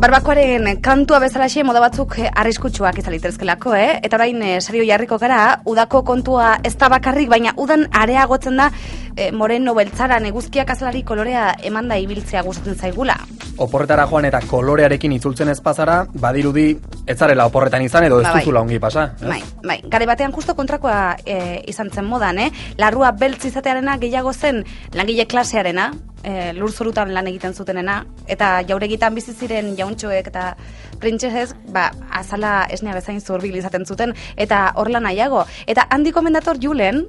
Barbakoaren kantua bezalaxe moda batzuk arriskutsuak izan litezkelako, Eta orain serio jarriko gara, udako kontua ez da bakarrik, baina udan areagotzen da moreno beltzaran eguzkiak azalari kolorea emanda ibiltzea gustatzen zaigula. Oporretara joan eta kolorearekin itzultzen ez pasara, badirudi ez zarela oporretan izan edo ez duzula ongi pasa. Bai. Gare batean justo kontrakoa izan zen modan, Larrua beltz izatearena gehiago zen langile klasearena, lurzorutan lan egiten zutenena, eta jauregitan bizi ziren jauntxoek eta printzesez, azala esnea bezain zurbil izaten zuten, eta horrela nahiago. Eta handi komendator Julen,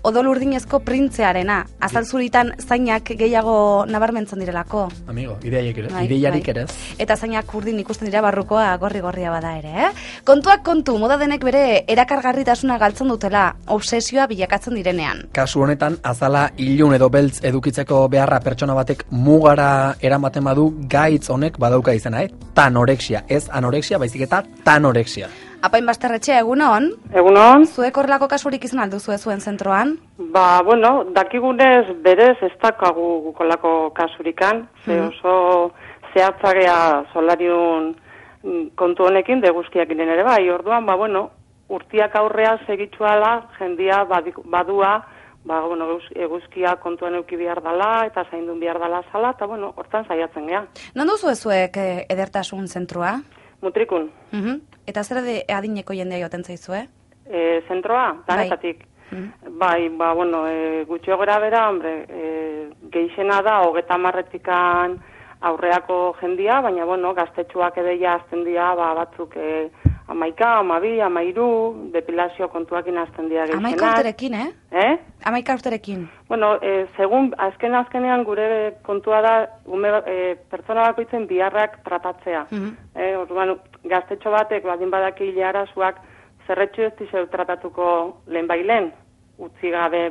odol urdinezko printzearena, azal zuritan zainak gehiago nabarmentzen direlako. Amigo, ideiarik ere. Eta zainak urdin ikusten dira barrukoa gorri-gorria bada ere, Kontuak kontu, moda denek bere erakargarritasuna galtzen dutela, obsesioa bilakatzen direnean. Kasu honetan, azala ilun edo beltz edukitzeko beharra pertsona batek mugara eramaten badu, gaitz honek badauka izena, Tanorexia, ez anorexia, baizik eta tanorexia. Apain Basterretxe, egunon? Egunon. Zuek horrelako kasurik izan alduzu zuen zentroan? Dakigunez berez ez dakagu gukolako kasurikan, ze oso zehatzagea solariun kontu honekin, deguzkiak ginen ere bai, orduan, urtiak aurrea segitzuala, jendia badua, eguzkia kontuan euki behar dala, eta zaindun behar dala zala, eta hortan saiatzen gea. Non duzu zuek edertasun zentroa? Mutrikun. Eta zer adineko jendea joaten zaizue? Zentroa, danetatik. Gutxio gora bera, geixena da, 30 aurreako jendia, baina, gaztetxuak edeia azten dira, batzuk 11, 12, 13, depilazio kontuakin azten dira geixenak. 11 urterekin, 11 urterekin. Segun, azkenean gure kontua da, pertsona bakoitzen biharrak tratatzea. Orduan, gaztetxo batek, badin badaki hilarazuak, zerretxu ez dizeu tratatuko lehen bailen, utzi gabe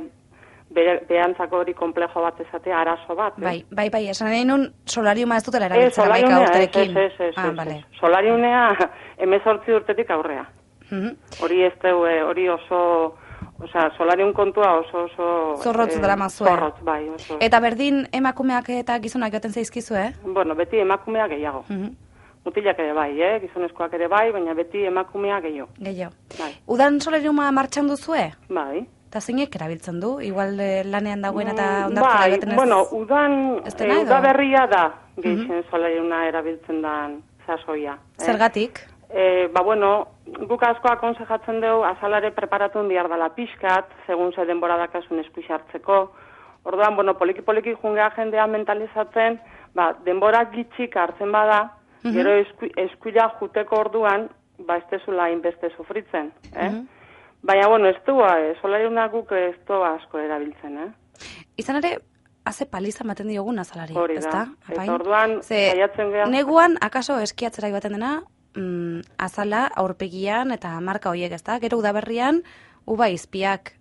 behantzako hori komplejo bat ezatea, arazo bat. Bai, esan nahi nun solariuma ez dutela erabiltzen 11 urterekin. Ez. Solariunea 18 urtetik aurrea. Hori oso, solariun kontua oso... Zorrotz drama zuen. Zorrotz, bai. Eta berdin emakumeak eta gizonak joaten zaizkizu, Beti emakumeak gehiago. Mutilak ere bai, gizonezkoak ere bai, baina beti emakumeak gehiago. Udan solariuma martxan duzue? Bai. Eta zeinek erabiltzen du? Igual lanean dagoen eta ondartzera egiten ez? Uda berria da gehien solariuna erabiltzen dan sasoia. Zergatik? Guk asko akonsejatzen dugu azalare preparatun behar dela pixkat, segun ze denbora dakasun eskuix hartzeko. Orduan, poliki-poliki jungea jendea mentalizatzen, denbora gitxik hartzen bada, gero eskuila juteko orduan, ez dezula inbeste sufritzen, Baina, ez du, solariuna guk ez du asko erabiltzen, Izan ere, haze paliza maten diogun azalari, hori da, eta orduan, saiatzen geha. Neguan, akaso eskiatzera joaten dena, azala, aurpegian eta marka horiek, Gero udaberrian, uba izpiak,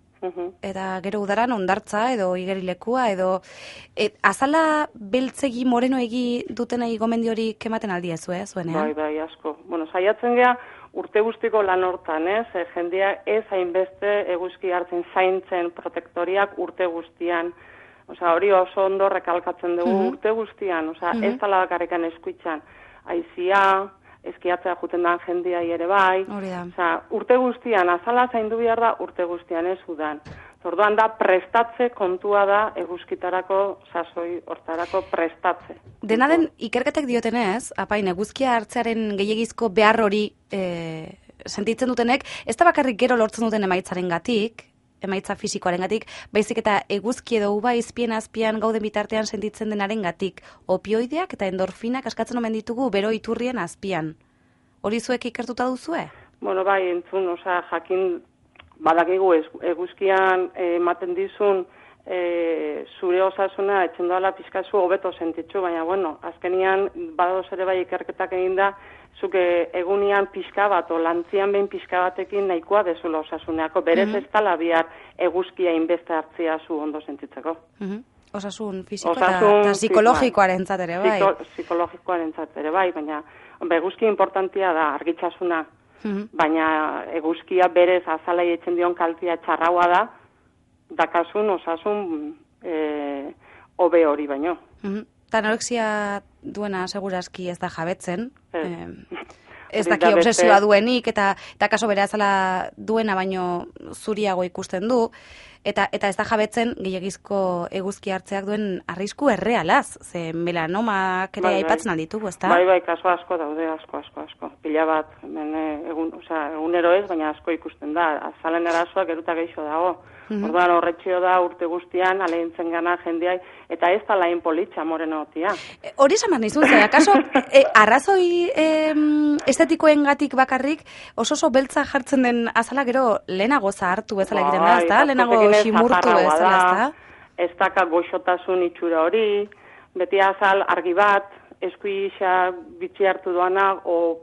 eta gero udaran ondartza edo igerilekua, edo azala beltzegi morenoegi dutenei gomendio hori kematen aldiezu, zuenean? Bai, asko. Saiatzen geha, urte guztiko lan hortan, jendea ez hainbeste eguzki hartzen zaintzen protektoriak urte guztian. Hori oso ondo rekalkatzen dugu urte guztian, ez tala bakarrikan eskuitzan. Aizia, eskiatzea juten dan jendea ere bai. Urte guztian, azala zaindu behar da urte guztian ez udan. Orduan da, prestatze kontua da eguzkitarako, sasoi hortarako prestatze. Dena den, ikerketek diotenez, apain, eguzkia hartzearen gehiagizko behar hori sentitzen dutenek, ez da bakarrik gero lortzen duten emaitzaren gatik, emaitza fisikoaren gatik, baizik eta eguzki edo uba izpien azpian gauden bitartean sentitzen denaren gatik, opioideak eta endorfinak askatzen omen ditugu bero iturrien azpian. Hori zuek ikertuta duzue? Bai, entzun, jakin... Badakigu eguzkian ematen dizun zure osasuna etxen doala pizkazu hobeto sentitzu, baina azkenian badadoz ere bai ikerketak egin da, zuke egunian pizka bat, o lantzian behin pizka batekin nahikoa dezula osasuneako, berez ez tala bihar eguzkia inbeste hartzia zu ondo sentitzeko. Osasun fisiko eta psikologikoaren ere bai. Psikologikoaren ere bai, baina eguzkia importantia da argitasuna. Baina eguzkia berez azalai etzen dion kaltia txarraua da, dakasun osasun hobe hori baino. anorexia duena segurazki ez da jabetzen. Ez Hori daki da obsesioa beste- duenik, eta kaso bere azala duena baino zuriago ikusten du, eta ez da jabetzen gehiagizko eguzki hartzeak duen arrisku errealaz, ze melanomak ere aipatzen alditugu, ezta? Bai, kaso asko daude, asko. Pila bat, hemen egunero ez, baina asko ikusten da. Azalen erasoak geruta geixo dago. Orduan horretxio da urte guztian, alegintzen gana jendeai, eta ez da lain politxa morenotia. Hori esan behar nizun, ze, akaso, arrazoi estetikoengatik bakarrik, oso beltza jartzen den azala gero lehenago zahartu bezala egiten da, ezta? Lehenago ximurtu bezala, ezta? Ez daka goxotasun itxura hori, beti azal argi bat, eskuisa bitxi hartu doana, o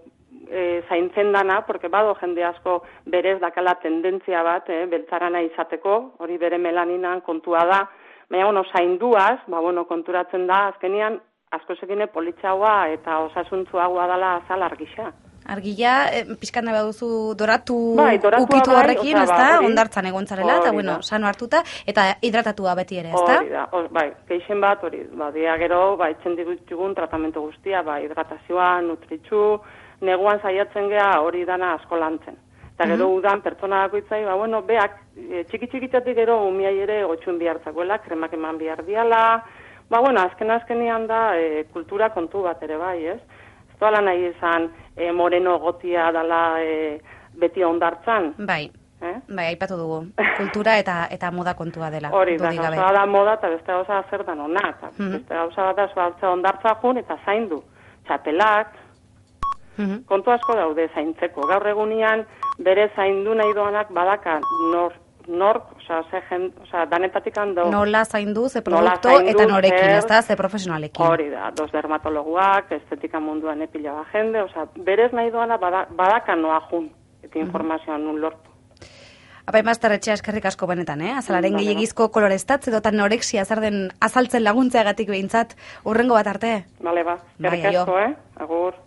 zaintzen dana, porque bado jende asko berez dakala tendentzia bat, beltzarana izateko, hori bere melaninan kontua da, baina, bueno, zainduaz, konturatzen da, azkenian, asko zekine politxaua eta osasuntzuagoa dala azal argisa. Argia, pixkan nahi baduzu doratu doratua ukitu bai, horrekin, ezta? Ondartzan egontzarela, eta Hori bueno, da. sano hartuta, eta hidratatua beti ere, ezta? Hori da, geixen bat, hori, dia gero, etxen ditugun tratamentu guztia, hidratazioa, nutritxu, neguan saiatzen gea hori dana asko lantzen. Eta gero udan pertsona bakoitzai, beak, txiki-txikitatik gero umiai ere gotxun bihartzakoela, kremak eman behar diala, azkenean da kultura kontu bat ere bai, ez? Ez doala nahi izan moreno gotia dala beti ondartzan. Bai, aipatu dugu. Kultura eta moda kontua dela. Hori da, gauza da moda eta beste gauza zer dan ona. Beste gauza da zualtza ondartza jun eta zaindu. Txapelak, kontu asko daude zaintzeko. Gaur egunean bere zaindu nahi doanak badaka nork, danetatik hando. Nola zaindu, ze produkto eta norekin, ezta, ze profesionalekin. Hori da, dos dermatologuak, estetika munduan epila ba jende, berez nahi doana badaka noa jun, eta informazioan nun lortu. Apai Master Etxea eskerrik asko benetan, azalaren gehiagizko koloreztatze edo anorexia zer den azaltzen laguntzeagatik behintzat, urrengo bat arte. Bale, eskerrik asko, agur.